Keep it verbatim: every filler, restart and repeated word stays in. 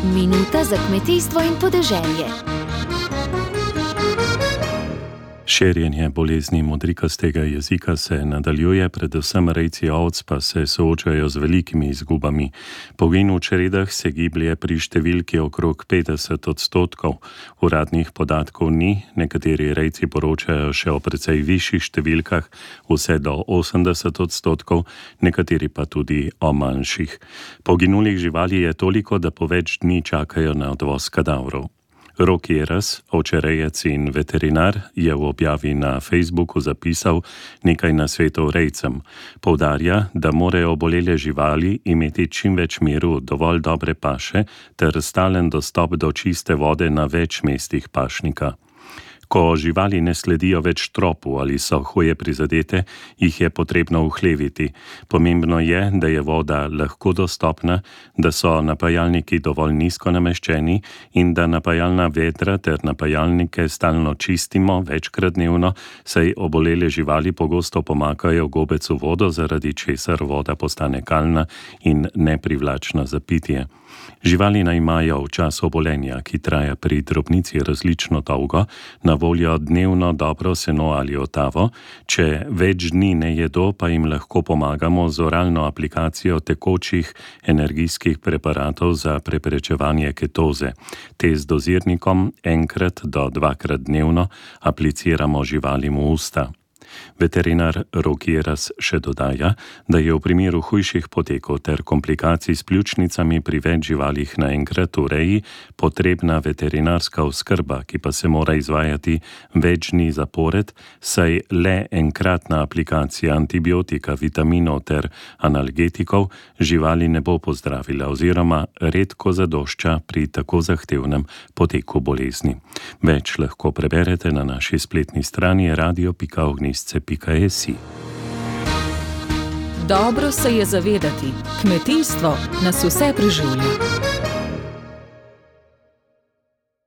Minuta za kmetijstvo in podeželje. Širjenje bolezni modrikastega jezika se nadaljuje, predvsem rejci ovc pa se soočajo z velikimi izgubami. Pogin v čredah se giblje pri številki okrog petdeset odstotkov. Uradnih podatkov ni, nekateri rejci poročajo še o precej višjih številkah, vse do osemdeset odstotkov, nekateri pa tudi o manjših. Poginulih živali je toliko, da po več dni čakajo na odvoz kadavrov. Rok Jeras, ovčerejec in veterinar, je v objavi na Facebooku zapisal nekaj nasvetov rejcem. Poudarja, da morajo obolele živali imeti čim več miru, dovolj dobre paše ter stalen dostop do čiste vode na več mestih pašnika. Ko živali ne sledijo več tropu ali so huje prizadete, jih je potrebno uhleviti. Pomembno je, da je voda lahko dostopna, da so napajalniki dovolj nizko nameščeni in da napajalna vedra ter napajalnike stalno čistimo večkrat dnevno, saj obolele živali pogosto pomakajo gobec v vodo, zaradi česar voda postane kalna in neprivlačna za pitje. Živali naj imajo v času obolenja, ki traja pri drobnici različno dolgo, na voljo dnevno dobro seno ali otavo. Če več dni ne jedo, pa jim lahko pomagamo z oralno aplikacijo tekočih energijskih preparatov za preprečevanje ketoze. Te z dozirnikom enkrat do dvakrat dnevno apliciramo živalim v usta. Veterinar Rok Jeras še dodaja, da je v primeru hujših potekov ter komplikacij s pljučnicami pri več živalih naenkrat v reji potrebna veterinarska oskrba, ki pa se mora izvajati več dni zapored, saj le enkratna aplikacija antibiotika, vitaminov ter analgetikov živali ne bo pozdravila oziroma redko zadošča pri tako zahtevnem poteku bolezni. Več lahko preberete na naši spletni strani radio pika ognjišče pika si. Dobro se je zavedati, kmetijstvo nas vse preživlja.